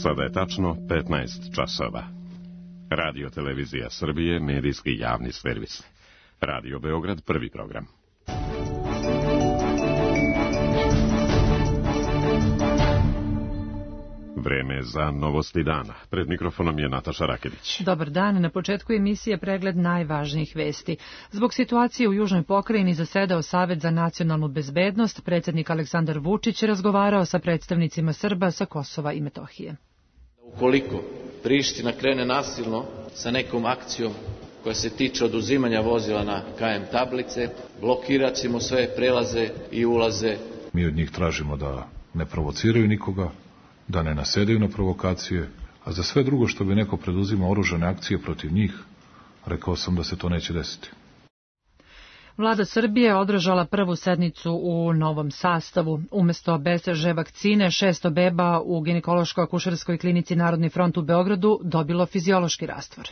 Sada je tačno 15 časova. Radio Televizija Srbije, medijski javni servis. Radio Beograd, prvi program. Vreme za novosti dana. Pred mikrofonom je Nataša Rakedić. Dobar dan. Na početku emisije pregled najvažnijih vesti. Zbog situacije u Južnoj pokrajini zasedao Savet za nacionalnu bezbednost. Predsjednik Aleksandar Vučić razgovarao sa predstavnicima Srba sa Kosova i Metohije. Ukoliko Priština krene nasilno sa nekom akcijom koja se tiče oduzimanja vozila na KM tablice, blokirat ćemo sve prelaze i ulaze. Mi od njih tražimo da ne provociraju nikoga, da ne nasedaju na provokacije, a za sve drugo što bi neko preduzimao oružane akcije protiv njih, rekao sam da se to neće desiti. Vlada Srbije je održala prvu sednicu u novom sastavu. Umesto BCG vakcine, 600 beba u ginekološko-akušerskoj klinici Narodni front u Beogradu dobilo fiziološki rastvor.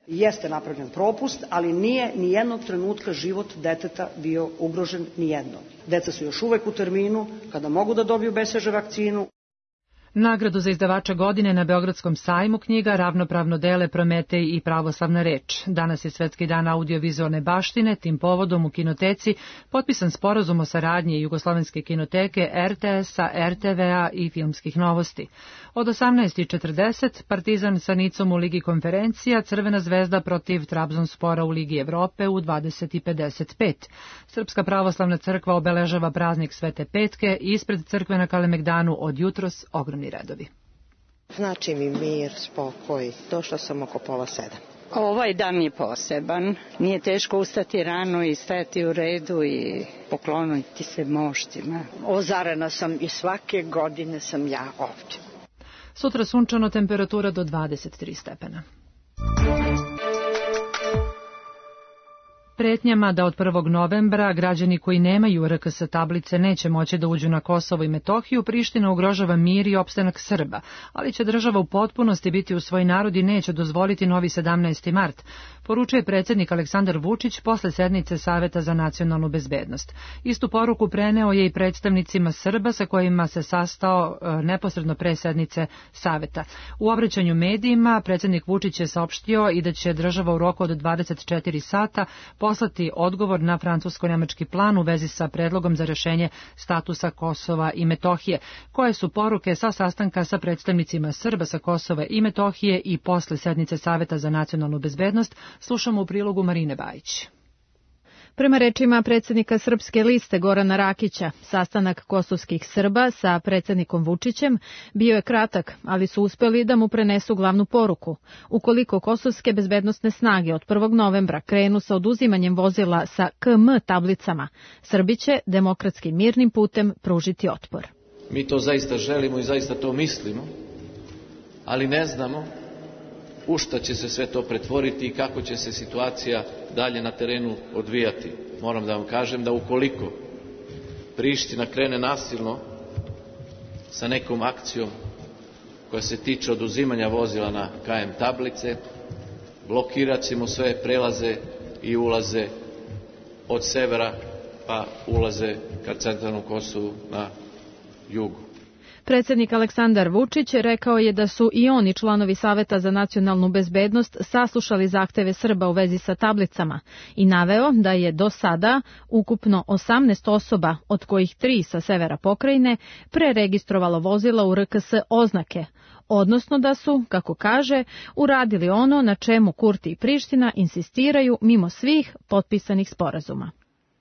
Jeste napravljen propust, ali nije ni jednog trenutka život deteta bio ugrožen ni jednog. Deca su još uvek u terminu kada mogu da dobiju BCG vakcinu. Nagradu za izdavača godine na Beogradskom sajmu knjiga ravnopravno dele Prometej i Pravoslavna reč. Danas je Svetski dan audiovizualne baštine, tim povodom u kinoteci potpisan sporazum o saradnji Jugoslovenske kinoteke, RTS-a, RTV-a i filmskih novosti. Od 18:40 Partizan sa Nicom u Ligi konferencija, Crvena zvezda protiv Trabzonspora u Ligi Evrope u 20:55. Srpska pravoslavna crkva obeležava praznik Svete Petke i ispred crkve na Kalemegdanu od jutros ogromni redovi. Znači mi mir, spokoj. Došla sam oko 6:30. Ovaj dan je poseban. Nije teško ustati rano i stajati u redu i pokloniti se moštima. Ozarena sam i svake godine sam ja ovdje. Sutra sunčano, temperatura do 23 stepena. Pretnjama da od 1. novembra građani koji nemaju RKS tablice neće moći da uđu na Kosovo i Metohiju, Priština ugrožava mir i opstanak Srba, ali će država u potpunosti biti u svoj narod i neće dozvoliti novi 17. mart, poručuje predsjednik Aleksandar Vučić posle sednice Saveta za nacionalnu bezbednost. Istu poruku preneo je i predstavnicima Srba sa kojima se sastao neposredno pre sednice Saveta. U obraćanju medijima predsjednik Vučić je saopštio i da će država u roku od 24 sata poslati odgovor na francusko-nemački plan u vezi sa predlogom za rešenje statusa Kosova i Metohije. Koje su poruke sa sastanka sa predstavnicima Srba sa Kosova i Metohije i posle sednice Saveta za nacionalnu bezbednost, slušamo u prilogu Marine Bajić. Prema rečima predsjednika Srpske liste Gorana Rakića, sastanak kosovskih Srba sa predsjednikom Vučićem bio je kratak, ali su uspeli da mu prenesu glavnu poruku. Ukoliko kosovske bezbednosne snage od 1. novembra krenu sa oduzimanjem vozila sa KM tablicama, Srbi će demokratskim mirnim putem pružiti otpor. Mi to zaista želimo i zaista to mislimo, ali ne znamo u šta će se sve to pretvoriti i kako će se situacija dalje na terenu odvijati. Moram da vam kažem da ukoliko Priština krene nasilno sa nekom akcijom koja se tiče oduzimanja vozila na KM tablice, blokirat ćemo sve prelaze i ulaze od severa pa ulaze ka centralnom Kosovu na jugu. Predsjednik Aleksandar Vučić rekao je da su i oni članovi Saveta za nacionalnu bezbednost saslušali zahteve Srba u vezi sa tablicama i naveo da je do sada ukupno 18 osoba, od kojih 3 sa severa pokrajine, preregistrovalo vozila u RKS oznake, odnosno da su, kako kaže, uradili ono na čemu Kurti i Priština insistiraju mimo svih potpisanih sporazuma.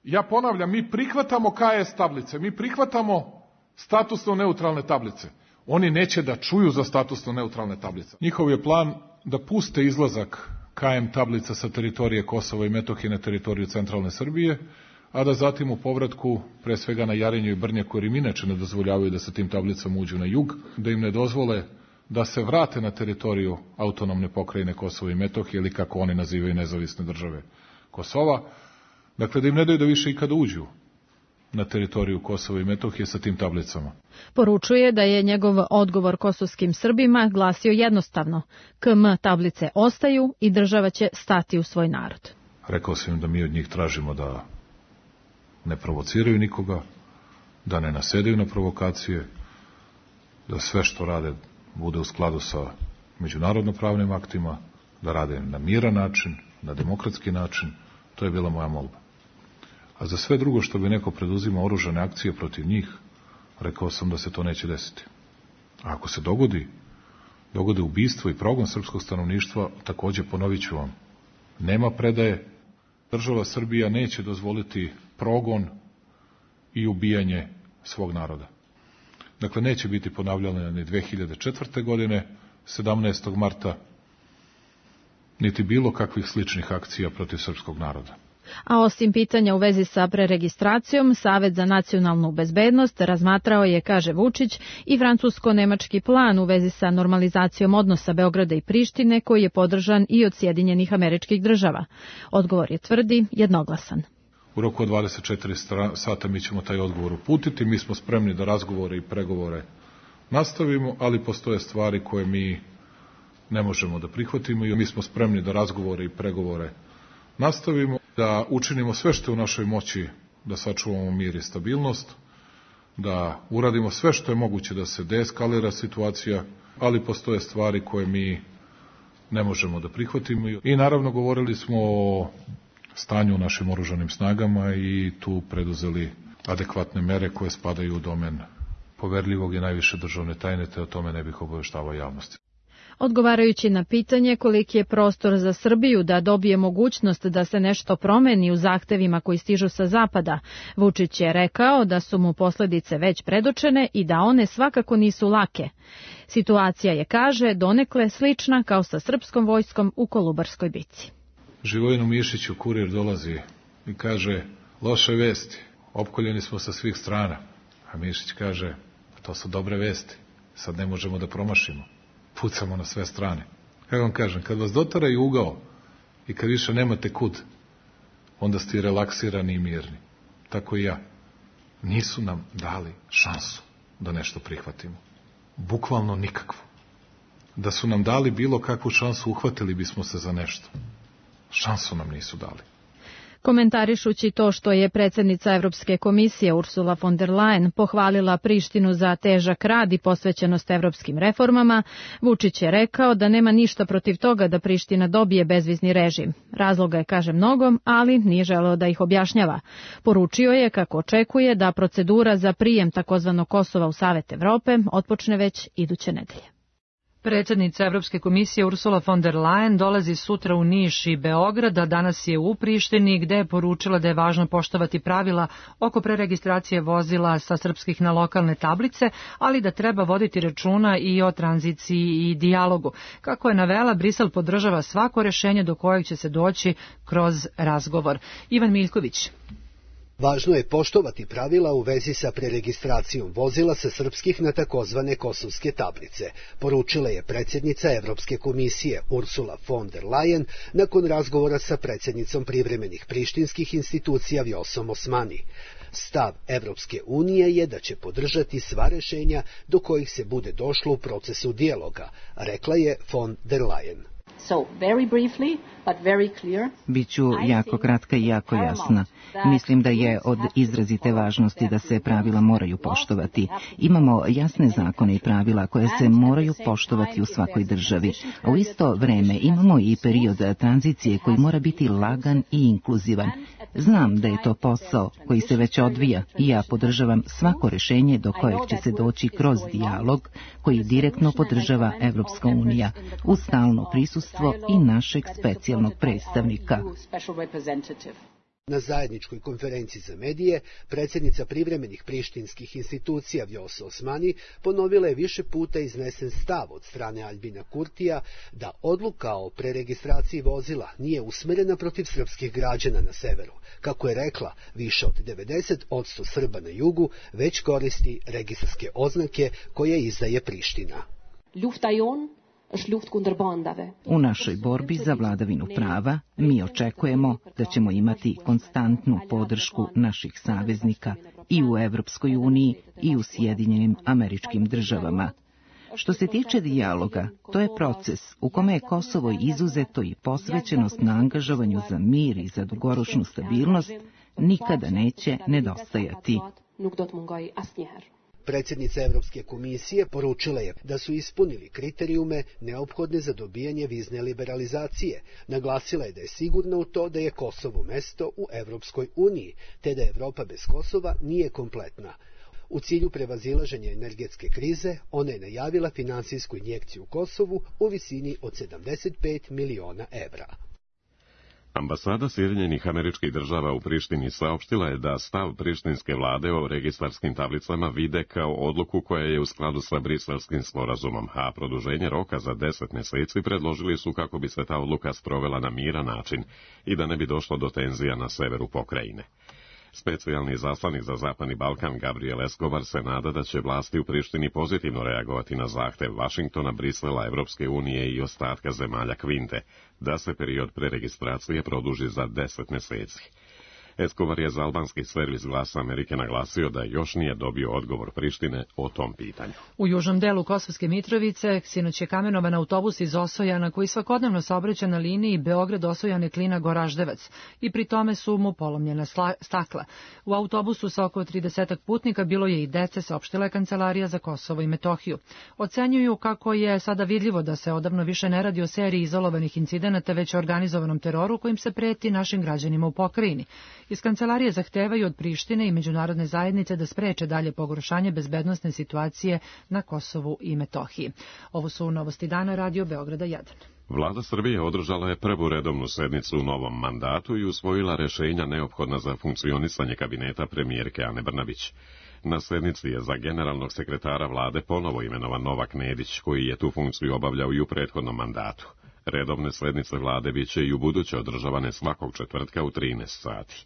Ja ponavljam, mi prihvatamo KS tablice, mi prihvatamo statusno neutralne tablice. Oni neće da čuju za statusno neutralne tablice. Njihov je plan da puste izlazak KM tablica sa teritorije Kosova i Metohije na teritoriju centralne Srbije, a da zatim u povratku, pre svega na Jarinju i Brnjaku, jer im inače ne dozvoljavaju da sa tim tablicama uđu na jug, da im ne dozvole da se vrate na teritoriju autonomne pokrajine Kosova i Metohije, ili kako oni nazivaju nezavisne države Kosova, dakle da im ne daju da više ikada uđu na teritoriju Kosova i Metohije sa tim tablicama. Poručuje da je njegov odgovor kosovskim Srbima glasio jednostavno: KM tablice ostaju i država će stati u svoj narod. Rekao sam im da mi od njih tražimo da ne provociraju nikoga, da ne nasedaju na provokacije, da sve što rade bude u skladu sa međunarodno-pravnim aktima, da rade na miran način, na demokratski način. To je bila moja molba. A za sve drugo što bi neko preduzima oružane akcije protiv njih, rekao sam da se to neće desiti. A ako se dogode ubistvo i progon srpskog stanovništva, takođe ponovit ću vam, nema predaje. Država Srbija neće dozvoliti progon i ubijanje svog naroda. Dakle, neće biti ponavljane ni 2004. godine, 17. marta, niti bilo kakvih sličnih akcija protiv srpskog naroda. A osim pitanja u vezi sa preregistracijom, Savet za nacionalnu bezbednost razmatrao je, kaže Vučić, i francusko-nemački plan u vezi sa normalizacijom odnosa Beograda i Prištine, koji je podržan i od Sjedinjenih Američkih Država. Odgovor je, tvrdi, jednoglasan. U roku od 24 sata mi ćemo taj odgovor uputiti. Mi smo spremni da razgovore i pregovore nastavimo, ali postoje stvari koje mi ne možemo da prihvatimo i mi smo spremni da razgovore i pregovore nastavimo, da učinimo sve što je u našoj moći da sačuvamo mir i stabilnost, da uradimo sve što je moguće da se deeskalira situacija, ali postoje stvari koje mi ne možemo da prihvatimo. I naravno govorili smo o stanju u našim oružanim snagama i tu preduzeli adekvatne mere koje spadaju u domen poverljivog i najviše državne tajne, te o tome ne bih obaveštavao javnosti. Odgovarajući na pitanje koliki je prostor za Srbiju da dobije mogućnost da se nešto promeni u zahtevima koji stižu sa zapada, Vučić je rekao da su mu posledice već predočene i da one svakako nisu lake. Situacija je, kaže, donekle slična kao sa srpskom vojskom u Kolubarskoj bici. Živojinu Mišiću kurir dolazi i kaže, loše vesti, opkoljeni smo sa svih strana. A Mišić kaže, to su dobre vesti, sad ne možemo da promašimo. Pucamo na sve strane. Kako vam kažem, kad vas dotaraju ugao i kad više nemate kud, onda ste i relaksirani i mirni. Tako i ja. Nisu nam dali šansu da nešto prihvatimo. Bukvalno nikakvu. Da su nam dali bilo kakvu šansu, uhvatili bismo se za nešto. Šansu nam nisu dali. Komentarišući to što je predsjednica Evropske komisije Ursula von der Leyen pohvalila Prištinu za težak rad i posvećenost evropskim reformama, Vučić je rekao da nema ništa protiv toga da Priština dobije bezvizni režim. Razloga je, kaže, mnogo, ali nije želeo da ih objašnjava. Poručio je kako očekuje da procedura za prijem takozvanog Kosova u Savet Evrope otpočne već iduće nedelje. Predsjednica Evropske komisije Ursula von der Leyen dolazi sutra u Niš i Beograd, a danas je u Prištini, gde je poručila da je važno poštovati pravila oko preregistracije vozila sa srpskih na lokalne tablice, ali da treba voditi računa i o tranziciji i dijalogu. Kako je navela, Brisel podržava svako rešenje do kojeg će se doći kroz razgovor. Ivan Miljković. Važno je poštovati pravila u vezi sa preregistracijom vozila sa srpskih na takozvane kosovske tablice, poručila je predsjednica Evropske komisije Ursula von der Leyen nakon razgovora sa predsjednicom privremenih prištinskih institucija Vjosom Osmani. Stav Evropske unije je da će podržati sva rešenja do kojih se bude došlo u procesu dijaloga, rekla je von der Leyen. Biću jako kratka i jako jasna. Mislim da je od izrazite važnosti da se pravila moraju poštovati. Imamo jasne zakone i pravila koje se moraju poštovati u svakoj državi. A u isto vreme imamo i period tranzicije koji mora biti lagan i inkluzivan. Znam da je to posao koji se već odvija i ja podržavam svako rešenje do kojeg će se doći kroz dijalog koji direktno podržava Evropska unija uz stalno prisustvo i našeg specijalnog predstavnika. Na zajedničkoj konferenciji za medije, predsjednica privremenih prištinskih institucija Vjosa Osmani ponovila je više puta iznesen stav od strane Aljbina Kurtija da odluka o preregistraciji vozila nije usmerena protiv srpskih građana na severu. Kako je rekla, više od 90% Srba na jugu već koristi registarske oznake koje izdaje Priština. U našoj borbi za vladavinu prava mi očekujemo da ćemo imati konstantnu podršku naših saveznika i u Evropskoj uniji i u Sjedinjenim Američkim Državama. Što se tiče dijaloga, to je proces u kome je Kosovo izuzeto i posvećenost na angažovanju za mir i za dugoročnu stabilnost nikada neće nedostajati. Predsjednica Evropske komisije poručila je da su ispunili kriterijume neophodne za dobijanje vizne liberalizacije. Naglasila je da je sigurna u to da je Kosovo mesto u Evropskoj uniji, te da Evropa bez Kosova nije kompletna. U cilju prevazilaženja energetske krize, ona je najavila finansijsku injekciju Kosovu u visini od 75 miliona evra. Ambasada Sjedinjenih Američkih Država u Prištini saopštila je da stav prištinske vlade o registarskim tablicama vide kao odluku koja je u skladu sa Briselskim sporazumom, a produženje roka za 10 mjeseci predložili su kako bi se ta odluka sprovela na miran način i da ne bi došlo do tenzija na severu pokrajine. Specijalni zaslanik za Zapadni Balkan Gabriel Escobar se nada da će vlasti u Prištini pozitivno reagovati na zahtev Vašingtona, Brisela, Evropske unije i ostatka zemalja Kvinte, da se period preregistracije produži za 10 mjeseci. Escobar je za albanski servis Glasa Amerike naglasio da još nije dobio odgovor Prištine o tom pitanju. U južnom delu Kosovske Mitrovice sinoć je kamenovan autobus iz Osojana koji svakodnevno saobraća na liniji Beograd-Osojane-Klina-Goraždevac i pri tome su mu polomljena stakla. U autobusu sa oko 30 putnika bilo je i dece, saopštila je Kancelarija za Kosovo i Metohiju. Ocenjuju kako je sada vidljivo da se odavno više ne radi o seriji izolovanih incidenata, već o organizovanom teroru kojim se preti našim građanima u pokrajini. Iz kancelarije zahtevaju od Prištine i međunarodne zajednice da spreče dalje pogoršanje bezbednosne situacije na Kosovu i Metohiji. Ovo su novosti dana Radio Beograda 1. Vlada Srbije održala je prvu redovnu sednicu u novom mandatu i usvojila rešenja neophodna za funkcionisanje kabineta premijerke Ane Brnabić. Na sednici je za generalnog sekretara vlade ponovo imenovan Novak Nedić, koji je tu funkciju obavljao i u prethodnom mandatu. Redovne sednice vlade biće i u buduće održavane svakog četvrtka u 13 sati.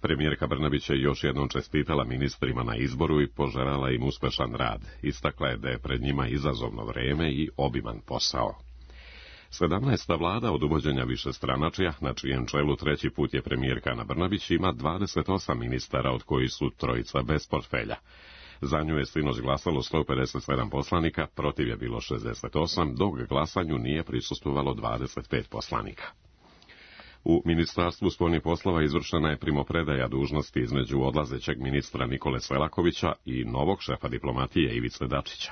Premijerka Brnabić je još jednom čestitala ministrima na izboru i poželjela im uspešan rad. Istakla je da je pred njima izazovno vreme i obiman posao. 17. vlada od uvođenja višestranačja, na čijem čelu treći put je premijerka Ana Brnabić, ima 28 ministara, od kojih su trojica bez portfelja. Za nju je sinoć glasalo 157 poslanika, protiv je bilo 68, dok glasanju nije prisustvovalo 25 poslanika. U Ministarstvu spoljnih poslova izvršena je primopredaja dužnosti između odlazećeg ministra Nikole Selakovića i novog šefa diplomatije Ivice Dačića.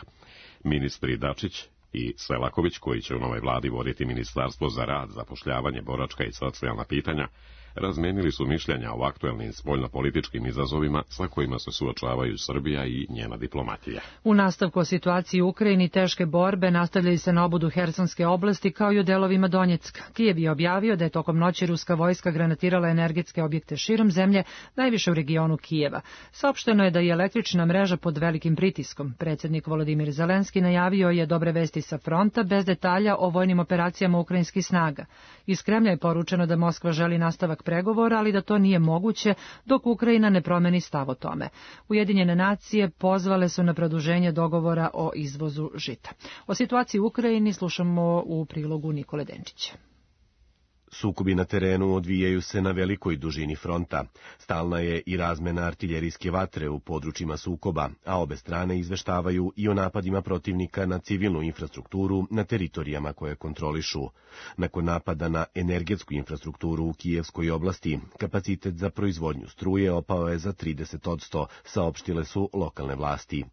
Ministri Dačić i Selaković, koji će u novoj vladi voditi Ministarstvo za rad, zapošljavanje, boračka i socijalna pitanja, razmenili su mišljenja o aktuelnim spoljnopolitičkim izazovima sa kojima se suočavaju Srbija i njena diplomatija. U nastavku o situaciji u Ukrajini teške borbe nastavljaju se na obodu Hersonske oblasti kao i u delovima Donjecka. Kijev je objavio da je tokom noći ruska vojska granatirala energetske objekte širom zemlje, najviše u regionu Kijeva. Saopšteno je da je električna mreža pod velikim pritiskom. Predsjednik Volodimir Zelenski najavio je dobre vesti sa fronta bez detalja o vojnim operacijama ukrajinskih snaga. Iz Kremlja je poručeno da Moskva želi nastavak pregovora, ali da to nije moguće dok Ukrajina ne promeni stav o tome. Ujedinjene nacije pozvale su na produženje dogovora o izvozu žita. O situaciji u Ukrajini slušamo u prilogu Nikole Denčića. Sukobi na terenu odvijaju se na velikoj dužini fronta. Stalna je i razmena artiljerijske vatre u područjima sukoba, a obe strane izveštavaju i o napadima protivnika na civilnu infrastrukturu na teritorijama koje kontrolišu. Nakon napada na energetsku infrastrukturu u Kijevskoj oblasti, kapacitet za proizvodnju struje opao je za 30%, saopštile su lokalne vlasti.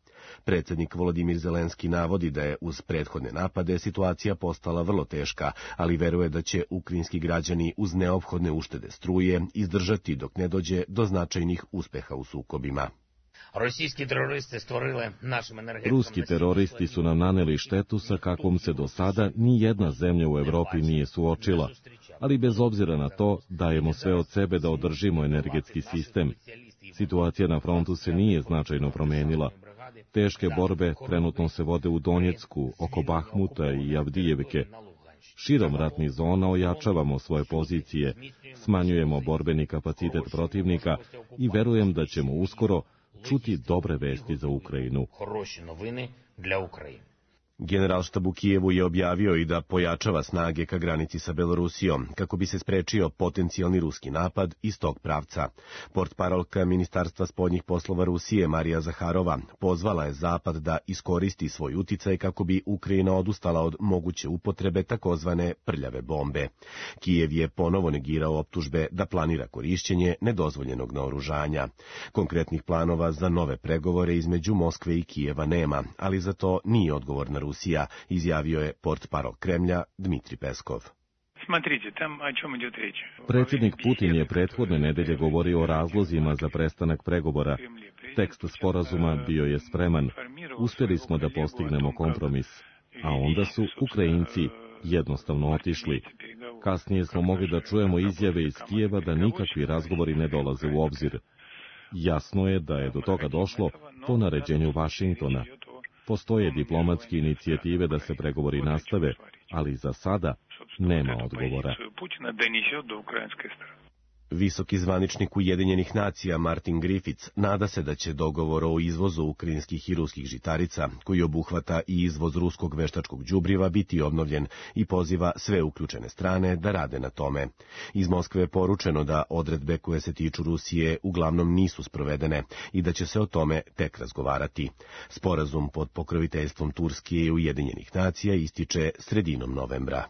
Predsjednik Volodimir Zelenski navodi da je uz prethodne napade situacija postala vrlo teška, ali veruje da će ukrajinski građani uz neophodne uštede struje izdržati dok ne dođe do značajnih uspeha u sukobima. Ruski teroristi su nam naneli štetu sa kakvom se do sada ni jedna zemlja u Evropi nije suočila, ali bez obzira na to dajemo sve od sebe da održimo energetski sistem. Situacija na frontu se nije značajno promenila. Teške borbe trenutno se vode u Donjecku, oko Bahmuta i Avdijevke. Širom ratnih zona ojačavamo svoje pozicije, smanjujemo borbeni kapacitet protivnika i verujem da ćemo uskoro čuti dobre vesti za Ukrajinu. Generalštab u Kijevu je objavio i da pojačava snage ka granici sa Belorusijom, kako bi se sprečio potencijalni ruski napad iz tog pravca. Portparolka Ministarstva spoljnih poslova Rusije Marija Zaharova pozvala je Zapad da iskoristi svoj uticaj kako bi Ukrajina odustala od moguće upotrebe takozvane prljave bombe. Kijev je ponovo negirao optužbe da planira korišćenje nedozvoljenog naoružanja. Konkretnih planova za nove pregovore između Moskve i Kijeva nema, ali za to nije odgovorna Rusija, izjavio je portparol Kremlja Dmitri Peskov. Predsjednik Putin je prethodne nedelje govorio o razlozima za prestanak pregovora. Tekst sporazuma bio je spreman. Uspjeli smo da postignemo kompromis, a onda su Ukrajinci jednostavno otišli. Kasnije smo mogli da čujemo izjave iz Kijeva da nikakvi razgovori ne dolaze u obzir. Jasno je da je do toga došlo po naređenju Vašingtona. Postoje diplomatske inicijative da se pregovori nastave, ali za sada nema odgovora. Visoki zvaničnik Ujedinjenih nacija Martin Griffiths nada se da će dogovor o izvozu ukrajinskih i ruskih žitarica, koji obuhvata i izvoz ruskog veštačkog đubriva, biti obnovljen i poziva sve uključene strane da rade na tome. Iz Moskve je poručeno da odredbe koje se tiču Rusije uglavnom nisu sprovedene i da će se o tome tek razgovarati. Sporazum pod pokroviteljstvom Turske i Ujedinjenih nacija ističe sredinom novembra.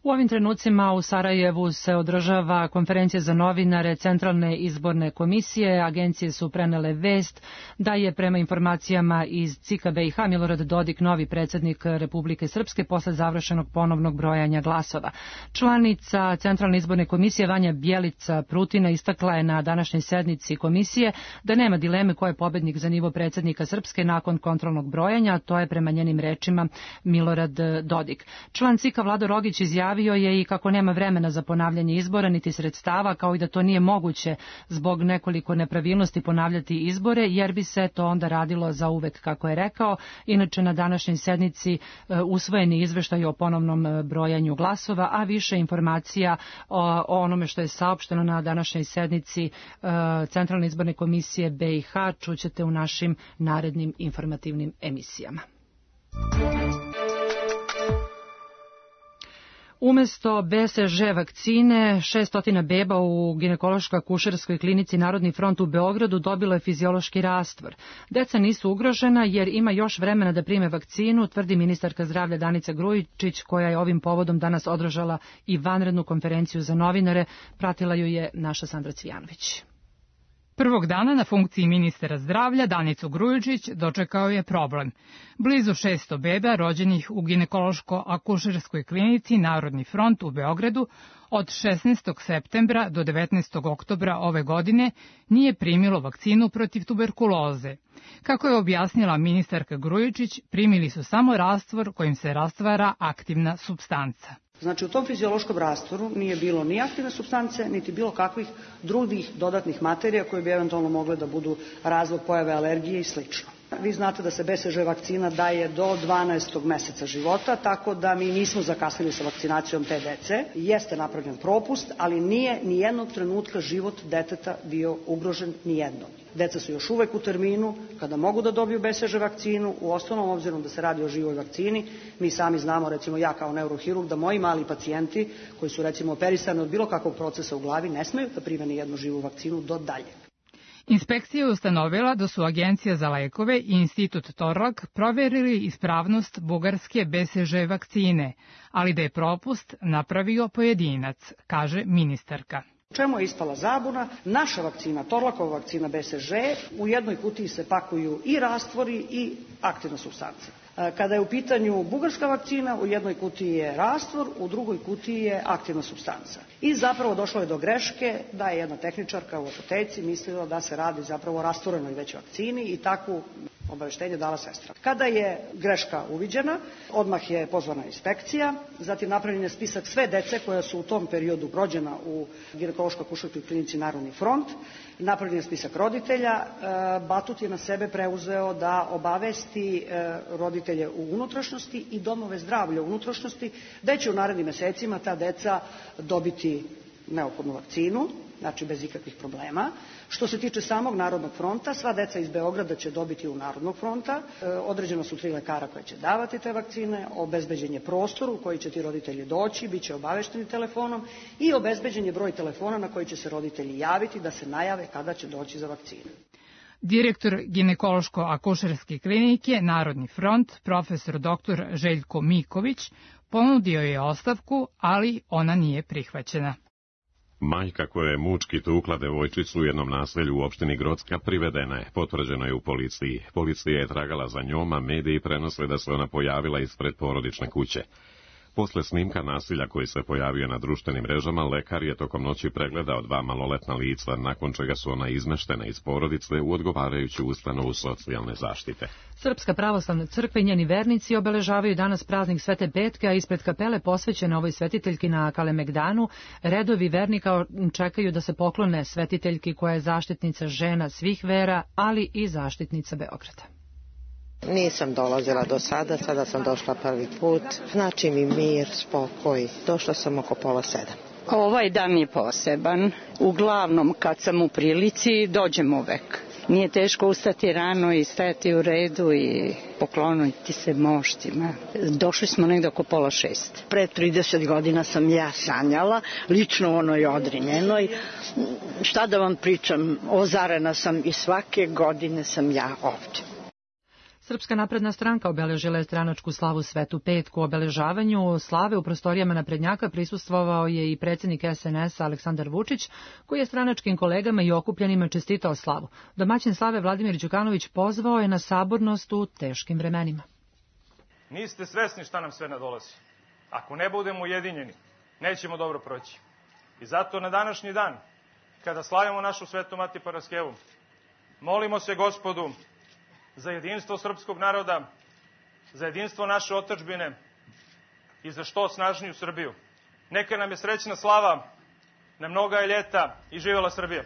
U ovim trenucima u Sarajevu se održava konferencija za novinare Centralne izborne komisije. Agencije su prenele vest da je prema informacijama iz CIK BiH Milorad Dodik novi predsjednik Republike Srpske posle završenog ponovnog brojanja glasova. Članica Centralne izborne komisije Vanja Bjelica Prutina istakla je na današnjoj sednici komisije da nema dileme ko je pobednik za nivo predsjednika Srpske nakon kontrolnog brojanja, to je prema njenim rečima Milorad Dodik. Član CIK Vlado Rogić izjavio je i kako nema vremena za ponavljanje izbora niti sredstava, kao i da to nije moguće zbog nekoliko nepravilnosti ponavljati izbore, jer bi se to onda radilo za uvek, kako je rekao. Inače, na današnjoj sednici usvojeni izveštaj o ponovnom brojanju glasova, a više informacija o onome što je saopšteno na današnjoj sednici Centralne izborne komisije BiH čućete u našim narednim informativnim emisijama. Umesto BCG vakcine, 600 beba u ginekološko-akušerskoj klinici Narodni front u Beogradu dobilo je fiziološki rastvor. Deca nisu ugrožena jer ima još vremena da prime vakcinu, tvrdi ministarka zdravlja Danica Grujičić, koja je ovim povodom danas održala i vanrednu konferenciju za novinare. Pratila ju je naša Sandra Cvijanović. Prvog dana na funkciji ministra zdravlja Danicu Grujičić dočekao je problem. Blizu 600 beba rođenih u ginekološko-akušerskoj klinici Narodni front u Beogradu od 16. septembra do 19. oktobra ove godine nije primilo vakcinu protiv tuberkuloze. Kako je objasnila ministarka Grujičić, primili su samo rastvor kojim se rastvara aktivna supstanca. Znači, u tom fiziološkom rastvoru nije bilo ni aktivne supstance, niti bilo kakvih drugih dodatnih materija koje bi eventualno mogle da budu razlog pojave alergije i slično. Vi znate da se BCG vakcina daje do 12. meseca života, tako da mi nismo zakasnili sa vakcinacijom te dece. Jeste napravljen propust, ali nije ni jednog trenutka život deteta bio ugrožen ni jednog. Deca su još uvek u terminu kada mogu da dobiju BCG vakcinu, u osnovnom obzirom da se radi o živoj vakcini. Mi sami znamo, recimo ja kao neurohirurg, da moji mali pacijenti koji su recimo operisani od bilo kakvog procesa u glavi ne smeju da prime ni jednu živu vakcinu do dalje. Inspekcija je ustanovila da su Agencija za lekove i Institut Torlak proverili ispravnost bugarske BCG vakcine, ali da je propust napravio pojedinac, kaže ministarka. Čemu je ispala zabuna? Naša vakcina, Torlakova vakcina BCG, u jednoj kutiji se pakuju i rastvori i aktivna supstanca. Kada je u pitanju bugarska vakcina, u jednoj kutiji je rastvor, u drugoj kutiji je aktivna supstanca. I zapravo došlo je do greške da je jedna tehničarka u apoteci mislila da se radi zapravo o rastvorenoj već vakcini i takvu obaveštenje dala sestra. Kada je greška uviđena, odmah je pozvana inspekcija, zatim napravljen je spisak sve dece koja su u tom periodu rođena u ginekološko-akušerskoj klinici Narodni front, napravljen je spisak roditelja, Batut je na sebe preuzeo da obavesti roditelje u unutrašnjosti i domove zdravlja u unutrašnjosti, da će u narednim mesecima ta deca dobiti neophodnu vakcinu. znači bez ikakvih problema. Što se tiče samog Narodnog fronta, sva deca iz Beograda će dobiti u Narodnog fronta. Određeno su 3 lekara koje će davati te vakcine, obezbeđen je prostor u koji će ti roditelji doći, bit će obavešteni telefonom i obezbeđen je broj telefona na koji će se roditelji javiti da se najave kada će doći za vakcinu. Direktor ginekološko-akušerske klinike Narodni front, profesor dr. Željko Miković, ponudio je ostavku, ali ona nije prihvaćena. Majka koja je mučki tukla devojčicu u jednom naselju u opštini Grocka privedena je, potvrđeno je u policiji. Policija je tragala za njom, a mediji prenose da se ona pojavila ispred porodične kuće. Posle snimka nasilja koji se pojavio na društvenim mrežama, lekar je tokom noći pregledao 2 maloletna lica, nakon čega su ona izmeštena iz porodice u odgovarajuću ustanovu socijalne zaštite. Srpska pravoslavna crkva i njeni vernici obeležavaju danas praznik Svete Petke, a ispred kapele posvećene ovoj svetiteljki na Kalemegdanu redovi vernika čekaju da se poklone svetiteljki koja je zaštitnica žena svih vera, ali i zaštitnica Beograda. Nisam dolazila do sada, sada sam došla prvi put. Znači mi mir, spokoj. Došla sam oko 6:30. Ovaj dan je poseban. Uglavnom kad sam u prilici dođem uvek. Nije teško ustati rano i stajati u redu i pokloniti se moštima. Došli smo negdje oko 5:30. Pre 30 godina sam ja sanjala, lično onoj Odrinjenoj. Šta da vam pričam, ozarena sam i svake godine sam ja ovdje. Srpska napredna stranka obeležila je stranačku slavu Svetu Petku. U obeležavanju slave u prostorijama naprednjaka prisustvovao je i predsjednik SNS-a Aleksandar Vučić, koji je stranačkim kolegama i okupljenima čestitao slavu. Domaćin slave Vladimir Đukanović pozvao je na sabornost u teškim vremenima. Niste svesni šta nam sve nadolazi. Ako ne budemo ujedinjeni, nećemo dobro proći. I zato na današnji dan, kada slavimo našu Svetu Mati Paraskevu, molimo se Gospodu za jedinstvo srpskog naroda, za jedinstvo naše otadžbine i za što snažniju Srbiju. Neka nam je srećna slava, na mnoga je ljeta i živjela Srbija.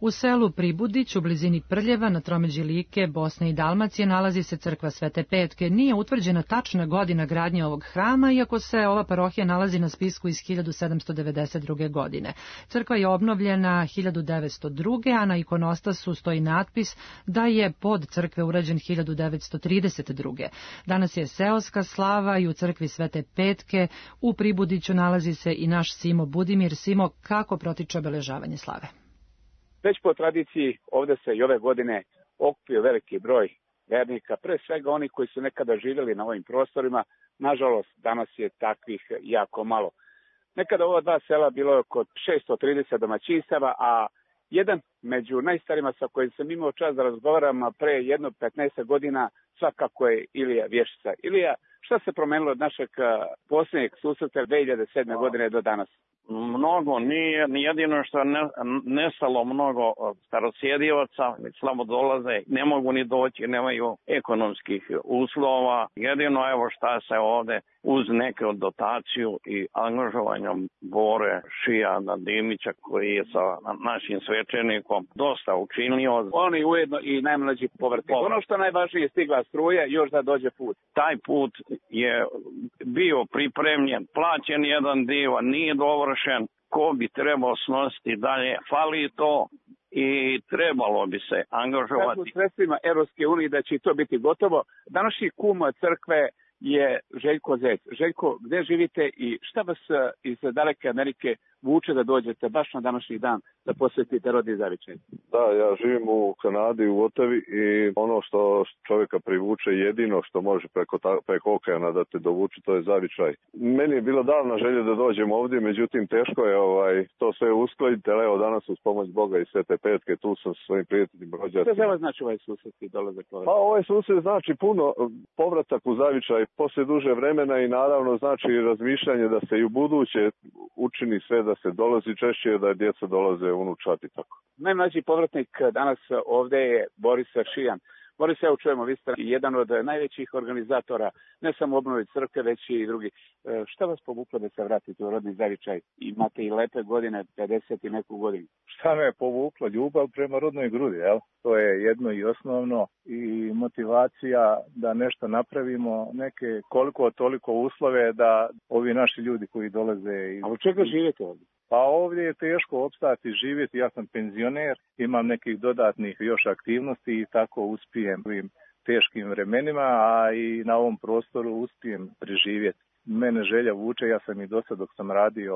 U selu Pribudić, u blizini Prljeva, na tromeđi Like, Bosne i Dalmacije, nalazi se crkva Svete Petke. Nije utvrđena tačna godina gradnje ovog hrama, iako se ova parohija nalazi na spisku iz 1792. godine. Crkva je obnovljena 1902. a na ikonostasu stoji natpis da je pod crkve urađen 1932. Danas je seoska slava i u crkvi Svete Petke u Pribudiću nalazi se i naš Simo Budimir. Simo, kako protiče obeležavanje slave? Već po tradiciji ovdje se i ove godine okupio veliki broj vernika, pre svega oni koji su nekada živjeli na ovim prostorima. Nažalost, danas je takvih jako malo. Nekada ova 2 sela bilo je oko 630 domaćinstava, a jedan među najstarijima sa kojim sam imao čast da razgovaram pre jedno 15 godina svakako je Ilija Vješica. Ilija, šta se promenilo od našeg posljednjeg susreta 2007. godine do danas? Mnogo, nije jedino što je nestalo mnogo starosjedivaca, slabo dolaze, ne mogu ni doći, nemaju ekonomskih uslova. Jedino evo šta se ovde uz neke dotaciju i angažovanjem Bore Šijana Dimića koji je sa našim svećenikom dosta učinio. Oni ujedno i najmlađi povratnik. Ono što najvažnije je stigla struja, još da dođe put. Taj put je bio pripremljen, plaćen jedan dio, nije dovršen. Ko bi trebao snositi dalje? Fali to i trebalo bi se angažovati. U sredstvima Evropske unije da će to biti gotovo. Današnji kum crkve je Željko Zec. Željko, gde živite i šta vas iz daleke Amerike vuče da dođete baš na današnji dan da posvetite rodni zavičaj? Da, ja živim u Kanadi, u Otavi i ono što čovjeka privuče jedino što može preko okeana da te dovuče, to je zavičaj. Meni je bila davna želja da dođem ovdje, međutim teško je to sve uskladiti, ali evo danas uz pomoć Boga i Svete Petke tu sam sa svojim prijateljima rođacima. Šta za vas znači ovaj susret i dolazak ovdje? Pa ovaj susret znači puno povratak u zavičaj posle duže vremena i naravno znači razmišljanje da se i u buduće učini sve da se dolazi češće, da djeca dolaze unučati tako. Najmlađi povratnik danas ovdje je Boris Šijan. Boris, evo čujemo, vi ste jedan od najvećih organizatora, ne samo obnove crkve, već i drugi. Šta vas povuklo da se vratite u rodni zavičaj? Imate i lepe godine, 50 i neku godinu. Šta me je povuklo? Ljubav prema rodnoj grudi, jel? To je jedno i osnovno i motivacija da nešto napravimo, neke koliko toliko uslove da ovi naši ljudi koji dolaze... A od čega živite ovdje? Pa ovdje je teško opstati, živjeti, ja sam penzioner, imam nekih dodatnih još aktivnosti i tako uspijem u ovim teškim vremenima, a i na ovom prostoru uspijem preživjeti. Mene želja vuče, ja sam i do sad dok sam radio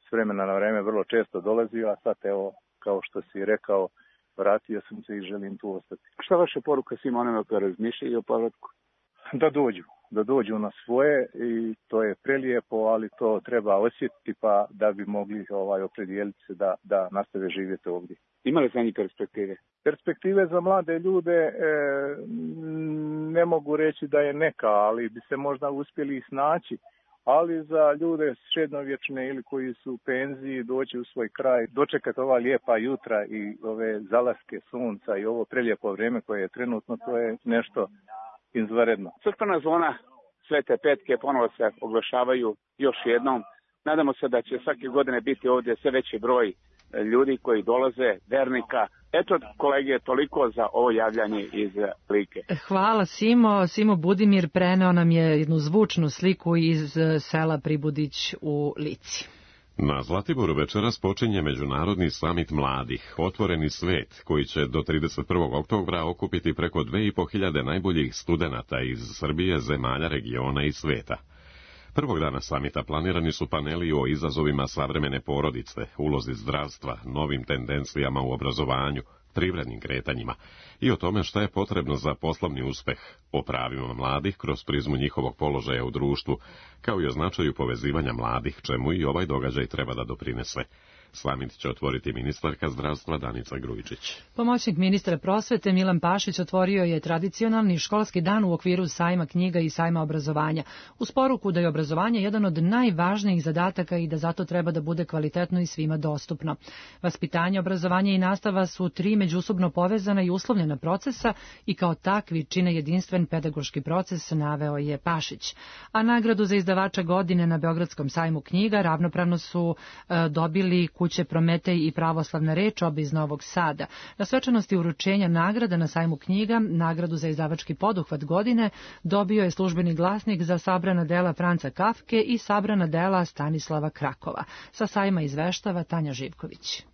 s vremena na vreme vrlo često dolazio, a sad evo, kao što si rekao, vratio sam se i želim tu ostati. Šta vaša poruka svima onima koji razmišljaju o povratku? Da dođu na svoje i to je prelijepo, ali to treba osjetiti pa da bi mogli opredijeliti se da nastave živjeti ovdje. Ima li za njih perspektive? Perspektive za mlade ljude ne mogu reći da je neka, ali bi se možda uspjeli snaći. Ali za ljude srednjovječne ili koji su u penziji doći u svoj kraj, dočekati ova lijepa jutra i ove zalaske sunca i ovo prelijepo vrijeme koje je trenutno, to je nešto izvanredno. Crkvena zona Svete Petke ponovo se oglašavaju još jednom. Nadamo se da će svake godine biti ovdje sve veći broj ljudi koji dolaze, vernika. Eto, kolege, toliko za ovo javljanje iz Like. Hvala, Simo. Simo Budimir preneo nam je jednu zvučnu sliku iz sela Pribudić u Lici. Na Zlatiboru večeras počinje Međunarodni samit mladih, Otvoreni svet, koji će do 31. oktobra okupiti preko 2500 najboljih studenata iz Srbije, zemalja, regiona i sveta. Prvog dana samita planirani su paneli o izazovima savremene porodice, ulozi zdravstva, novim tendencijama u obrazovanju, privrednim kretanjima i o tome šta je potrebno za poslovni uspeh, o pravima mladih kroz prizmu njihovog položaja u društvu, kao i o značaju povezivanja mladih, čemu i ovaj događaj treba da doprinese. Samit će otvoriti ministarka zdravstva Danica Grujičić. Pomoćnik ministra prosvete Milan Pašić otvorio je tradicionalni školski dan u okviru sajma knjiga i sajma obrazovanja, uz poruku da je obrazovanje jedan od najvažnijih zadataka i da zato treba da bude kvalitetno i svima dostupno. Vaspitanje, obrazovanje i nastava su tri međusobno povezana i uslovljena procesa i kao takvi čine jedinstven pedagoški proces, naveo je Pašić. A nagradu za izdavača godine na Beogradskom sajmu knjiga ravnopravno su dobili Kuće Prometej i Pravoslavna reč, oba iz Novog Sada. Na svečanosti uručenja nagrada na sajmu knjiga, nagradu za izdavački poduhvat godine dobio je Službeni glasnik za sabrana dela Franca Kafke i sabrana dela Stanislava Krakova. Sa sajma izveštava Tanja Živković.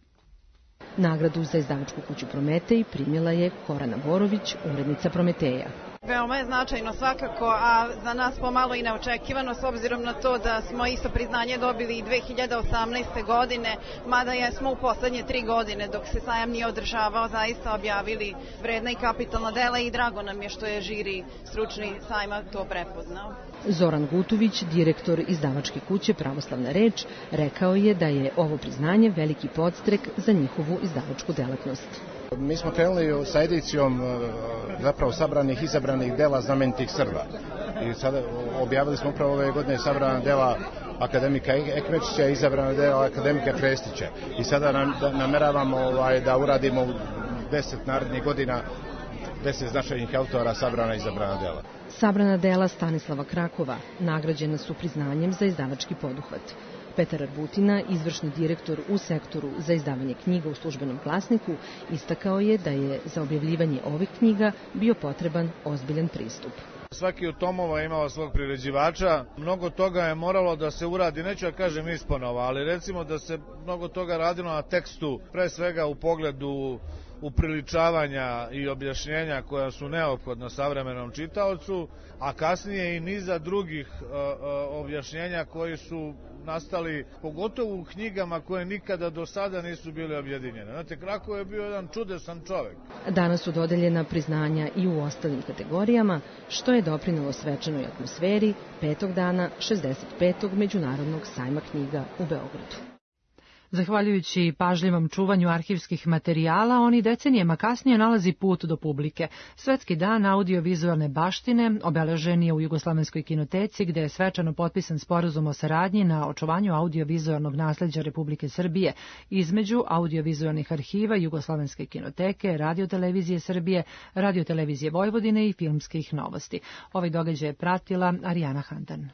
Nagradu za izdavačku kuću Prometej primila je Korana Borović, urednica Prometeja. Veoma je značajno svakako, a za nas pomalo i neočekivano s obzirom na to da smo isto priznanje dobili i 2018. godine, mada smo u poslednje 3 godine dok se sajam nije održavao zaista objavili vredna i kapitalna dela i drago nam je što je žiri stručni sajma to prepoznao. Zoran Gutović, direktor izdavačke kuće Pravoslavna reč, rekao je da je ovo priznanje veliki podstrek za njihovu izdavačku delatnost. Mi smo krenuli sa edicijom zapravo sabranih, izabranih dela znamenitih Srba. I sada objavili smo upravo ove godine sabrana dela akademika Ekmečića i izabrana dela akademika Krestića. I sada nameravamo da uradimo 10 narednih godina 10 značajnih autora sabrana i izabrana dela. Sabrana dela Stanislava Krakova nagrađena su priznanjem za izdavački poduhvat. Petar Arbutina, izvršni direktor u sektoru za izdavanje knjiga u Službenom glasniku, istakao je da je za objavljivanje ovih knjiga bio potreban ozbiljan pristup. Svaki od tomova je imao svog priređivača, mnogo toga je moralo da se uradi, neću da kažem isponova, ali recimo da se mnogo toga radilo na tekstu, pre svega u pogledu upriličavanja i objašnjenja koja su neophodna savremenom čitaocu, a kasnije i niza drugih objašnjenja koji su nastali, pogotovo u knjigama koje nikada do sada nisu bile objedinjene. Znate, Krakov je bio jedan čudesan čovek. Danas su dodeljena priznanja i u ostalim kategorijama, što je doprinelo svečanoj atmosferi 5. dana 65. Međunarodnog sajma knjiga u Beogradu. Zahvaljujući pažljivom čuvanju arhivskih materijala, on i decenijama kasnije nalazi put do publike. Svetski dan audiovizualne baštine obeležen je u Jugoslovenskoj kinoteci, gde je svečano potpisan sporazum o saradnji na očuvanju audiovizualnog nasleđa Republike Srbije između audiovizualnih arhiva Jugoslovenske kinoteke, Radiotelevizije Srbije, Radiotelevizije Vojvodine i Filmskih novosti. Ovaj događaj je pratila Arijana Handan.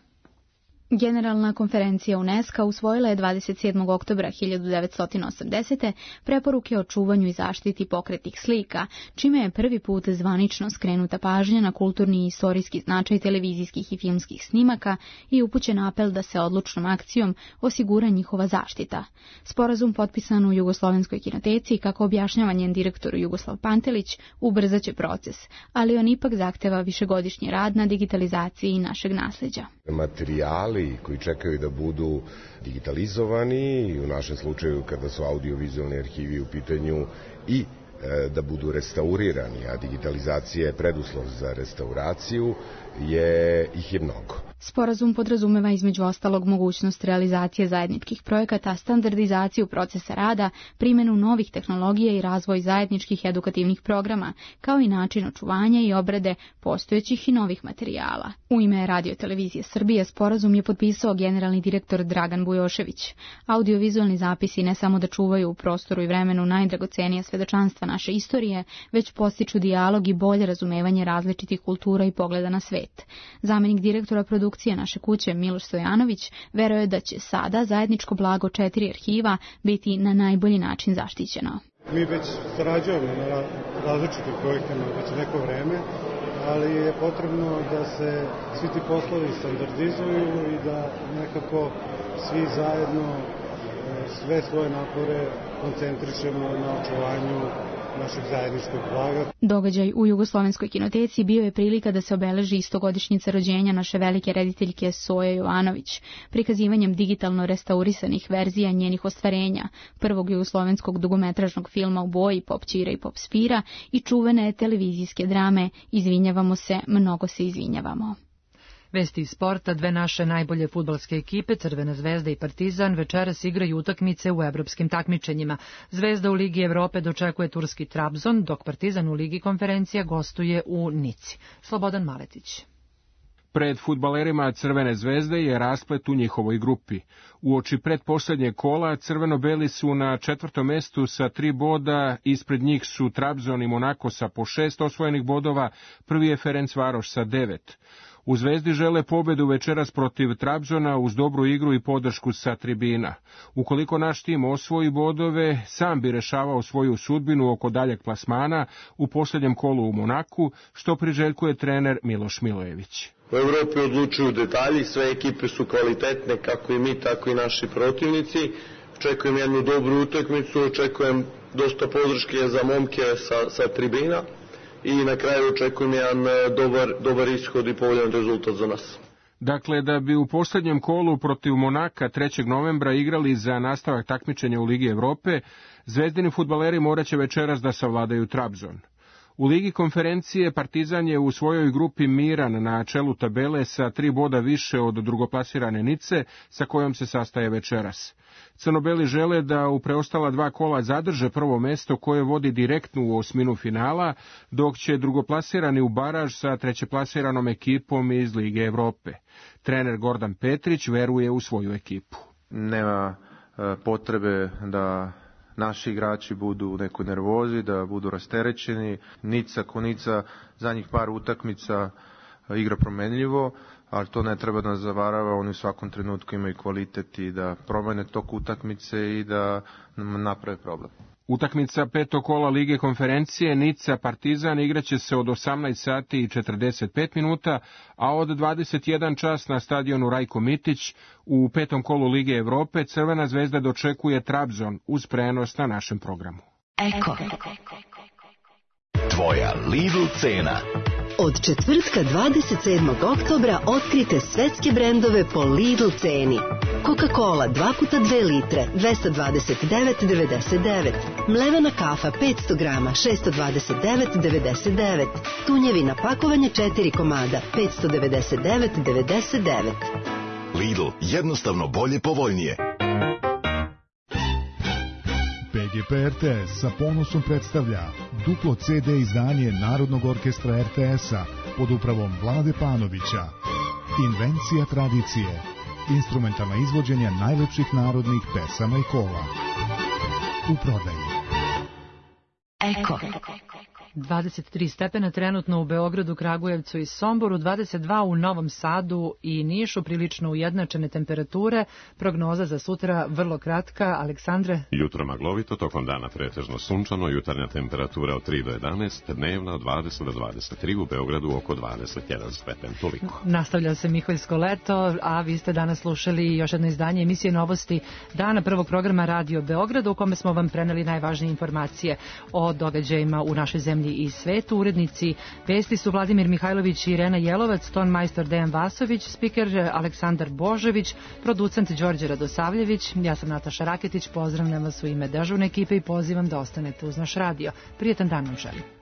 Generalna konferencija UNESCO usvojila je 27. oktobra 1980. preporuke o čuvanju i zaštiti pokretnih slika, čime je prvi put zvanično skrenuta pažnja na kulturni i istorijski značaj televizijskih i filmskih snimaka i upućen apel da se odlučnom akcijom osigura njihova zaštita. Sporazum potpisan u Jugoslovenskoj kinoteci, kako objašnjava njen direktor Jugoslav Pantelić, ubrzaće proces, ali on ipak zahteva višegodišnji rad na digitalizaciji našeg nasleđa. Materijali koji čekaju da budu digitalizovani i u našem slučaju kada su audiovizualni arhivi u pitanju i da budu restaurirani, a digitalizacija je preduslov za restauraciju, ih je mnogo. Sporazum podrazumeva između ostalog mogućnost realizacije zajedničkih projekata, standardizaciju procesa rada, primjenu novih tehnologija i razvoj zajedničkih edukativnih programa, kao i način očuvanja i obrade postojećih i novih materijala. U ime Radio-televizije Srbije sporazum je potpisao generalni direktor Dragan Bujošević. Audiovizualni zapisi ne samo da čuvaju u prostoru i vremenu najdragocenija svedočanstva naše istorije, već postiču dijalog i bolje razumevanje različitih kultura i pogleda na svet. Zamenik direktora produkcije naše kuće Miloš Stojanović veruje da će sada zajedničko blago 4 arhiva biti na najbolji način zaštićeno. Mi već sarađujemo na različitim projektima već neko vreme, ali je potrebno da se svi ti poslovi standardizuju i da nekako svi zajedno sve svoje napore koncentrišemo na očuvanju našeg zajedničkog blaga. Događaj u Jugoslovenskoj kinoteci bio je prilika da se obeleži 100-godišnjica rođenja naše velike rediteljke Soje Jovanović, prikazivanjem digitalno restaurisanih verzija njenih ostvarenja, prvog jugoslovenskog dugometražnog filma u boji Pop Ćira i Pop Spira i čuvene televizijske drame Izvinjavamo se, mnogo se izvinjavamo. Vesti iz sporta, dve naše najbolje fudbalske ekipe, Crvena zvezda i Partizan, večeras igraju utakmice u evropskim takmičenjima. Zvezda u Ligi Evrope dočekuje turski Trabzon, dok Partizan u Ligi konferencija gostuje u Nici. Slobodan Maletić. Pred fudbalerima Crvene zvezde je rasplet u njihovoj grupi. Uoči pretposlednjeg kola crveno-beli su na 4. mestu sa 3 boda, ispred njih su Trabzon i Monako sa po 6 osvojenih bodova, prvi je Ferencvaroš sa 9. U Zvezdi žele pobedu večeras protiv Trabzona uz dobru igru i podršku sa tribina. Ukoliko naš tim osvoji bodove, sam bi rešavao svoju sudbinu oko daljeg plasmana u posljednjem kolu u Monaku, što priželjkuje trener Miloš Milojević. U Evropi odlučuju detalji, sve ekipe su kvalitetne, kako i mi, tako i naši protivnici. Očekujem jednu dobru utakmicu, očekujem dosta podrške za momke sa tribina. I na kraju očekujem jedan dobar ishod i povoljan rezultat za nas. Dakle, da bi u posljednjem kolu protiv Monaka 3. novembra igrali za nastavak takmičenja u Ligi Evrope, zvezdini fudbaleri moraće večeras da savladaju Trabzon. U Ligi konferencije Partizan je u svojoj grupi miran na čelu tabele sa 3 boda više od drugoplasirane Nice, sa kojom se sastaje večeras. Crnobeli žele da u preostala 2 kola zadrže prvo mesto koje vodi direktno u osminu finala, dok će drugoplasirani u baraž sa trećeplasiranom ekipom iz Lige Evrope. Trener Gordan Petrić veruje u svoju ekipu. Nema potrebe da naši igrači budu u nekoj nervozi, da budu rasterećeni. Nica ko Nica zadnjih par utakmica igra promenljivo, ali to ne treba da nas zavarava, oni u svakom trenutku imaju kvalitet i da promene tok utakmice i da naprave problem. Utakmica 5. kola Lige konferencije Nica Partizan igraće se od 18 sati i 45 minuta, a od 21 čas na stadionu Rajko Mitić u 5. kolu Lige Evrope Crvena zvezda dočekuje Trabzon uz prenos na našem programu. Eko. Tvoja Lidl cena. Od četvrtka 27. oktobra otkrite svetske brendove po Lidl ceni. Coca-Cola 2x2 litre 229,99. Mlevena kafa 500 grama 629,99. Tunjevina pakovanje 4 komada 599,99. Lidl, jednostavno bolje, povoljnije. PGP RTS sa ponosom predstavlja duplo CD izdanje Narodnog orkestra RTS-a pod upravom Vlade Panovića. Invencija tradicije. Instrumentalna izvođenja najlepših narodnih pesama i kola. U prodaji. Eko. 23 stepena trenutno u Beogradu, Kragujevcu i Somboru, 22 u Novom Sadu i Nišu, prilično ujednačene temperature. Prognoza za sutra vrlo kratka. Aleksandre? Jutro maglovito, tokom dana pretežno sunčano, jutarnja temperatura od 3 do 11, dnevna od 20 do 23, u Beogradu oko 21 stepen. Toliko. Nastavlja se Miholjsko leto, a vi ste danas slušali još jedno izdanje emisije Novosti dana, prvog programa Radio Beograda, u kome smo vam preneli najvažnije informacije o događajima u našoj zemlji i svetu. Urednici vesti su Vladimir Mihajlović i Irena Jelovac, ton majstor Dejan Vasović, spiker Aleksandar Božović, producent Đorđe Radosavljević. Ja sam Nataša Raketić, pozdravljam vas u ime dežurne ekipe i pozivam da ostanete uz naš radio. Prijetan dan vam želim.